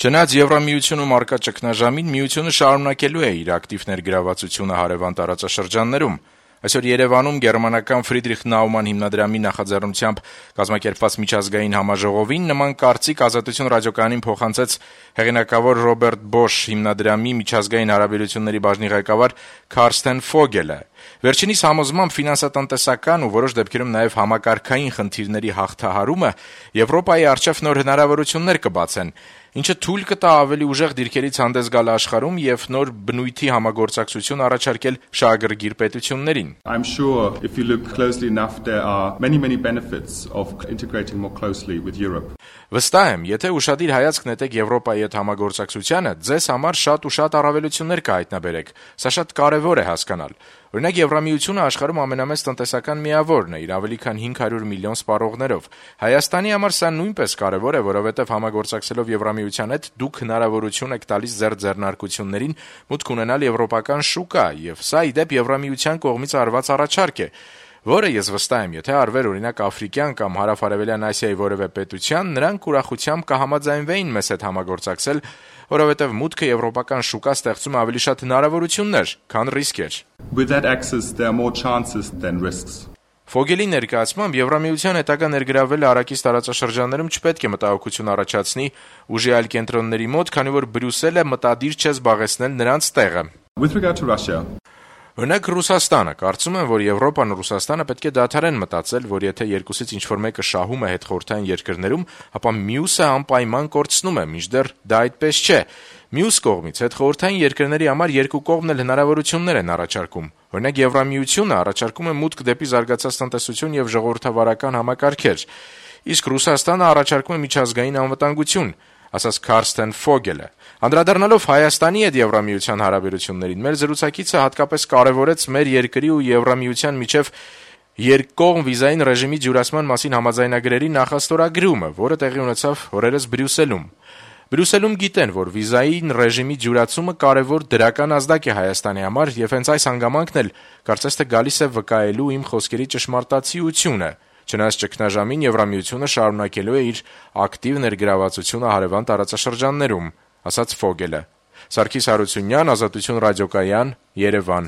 Չնայած Եվրամիությունում առկա ճգնաժամին, միությունը շարունակելու է իր ակտիվ ներգրավվածությունը հարևան տարածաշրջաններում։ Այսօր Երևանում գերմանական Ֆրիդրիխ Նաուման հիմնադրամի նախաձեռնությամբ կազմակերպված միջազգային համաժողովին նման կարծիք Ազատություն ռադիոկայանին փոխանցեց հեղինակավոր Ռոբերտ Բոշ հիմնադրամի միջազգային հարաբերությունների բաժնի ղեկավար Քարստեն Ֆոգելը։ Վերջինիս համոզմամբ ֆինանսատնտեսական ու որոշ դեպքերում նաև համակարգային խնդիրների հաղթահարումը Եվրոպայի առջև նոր հնարավորություններ կբացեն, ինչը թույլ կտա ավելի ուժեղ դիրքերից հանդես գալ աշխարհում եւ նոր բնույթի համագործակցություն առաջարկել շահագրգիռ պետություններին։ I'm sure if you look closely enough there are many benefits of integrating more closely with Europe. Վստահ եմ, եթե ուշադիր հայացք նետեք Եվրոպայի հետ համագործակցությանը, ձեզ համար շատ ու շատ առավելություններ կհայտնաբերեք։ Սա շատ կարևոր է հասկանալ։ Օրինակ Եվրամիությունը աշխարհում ամենամեծ տնտեսական միավորն է, իր ավելի քան 500 միլիոն սպառողներով։ Հայաստանի համար սա նույնպես կարևոր է, որովհետև համագործակցելով Եվրամիության հետ դուք հնարավորություն եք տալիս ձեր ձեռնարկություններին մուտք ունենալ եվրոպական շուկա, եւ սա ի դեպ Եվրամիության կողմից արված առաջարկ է, որը ես վստահ եմ, եթե արվեր օրինակ Աֆրիկյան կամ Հարավ-Արևելյան Ասիայի որևէ պետության, նրանք ուրախությամբ կհամաձայնվեին մեզ հետ համագործակցել, որովհետև մուտքը եվրոպական շուկա ստեղծում ավելի շատ հնարավորություններ, քան ռիսկեր։ With that access there are more chances than risks. Ֆոգելի ներկայացմամբ Եվրամիության հետագա ներգրավելը Արաքիս տարածաշրջաններում չպետք է մտահոգություն առաջացնի ուժի այլ կենտրոնների մոտ, քանի որ Բրյուսելը մտադիր չէ զբաղեցնել նրանց տեղը։ With regard to Russia, Օրինակ Ռուսաստանը, կարծում եմ, որ Եվրոպան ու Ռուսաստանը պետք է դադարեն մտածել, որ եթե երկուսից ինչ-որ մեկը շահում է հետխորհրդային երկրներում, ապա մյուսը անպայման կորցնում է, մինչդեռ դա այդպես չէ։ Մյուս կողմից հետխորհրդային երկրների համար երկու կողմն էլ հնարավորություններ են առաջարկում։ Օրինակ Եվրամիությունը առաջարկում է մուտք դեպի զարգացած տնտեսություն եւ ժողովրդավարական համակարգեր, իսկ Ռուսաստանը առաջարկում է միջազգային անվտանգություն, ասաց Քարստեն Ֆոգելը։ Անդրադառնալով Հայաստանի հետ Եվրամիության հարաբերություններին, մեր զրուցակիցը հատկապես կարևորեց մեր երկրի ու Եվրամիության միջև երկկողմ վիզային ռեժիմի ջուրացման մասին համաձայնագրերի նախաստորագրումը, որը տեղի ունեցավ օրերս Բրյուսելում։ Բրյուսելում գիտեն, որ վիզային ռեժիմի ջուրացումը կարևոր դրական ազդակ է Հայաստանի համար եւ հենց այս հանգամանքն էլ կարծես թե գալիս է վկայելու իմ խոսքերի ճշմարտացիությունը։ Չնայած ճգնաժամին Եվրամիությունը շարունակելու է իր ակտիվ ներգրավվածությունը հարևան տարածաշրջաններում, ասաց Ֆոգելը։ Սարգիս Հարությունյան, Ազատություն ռադիոկայան, Երևան։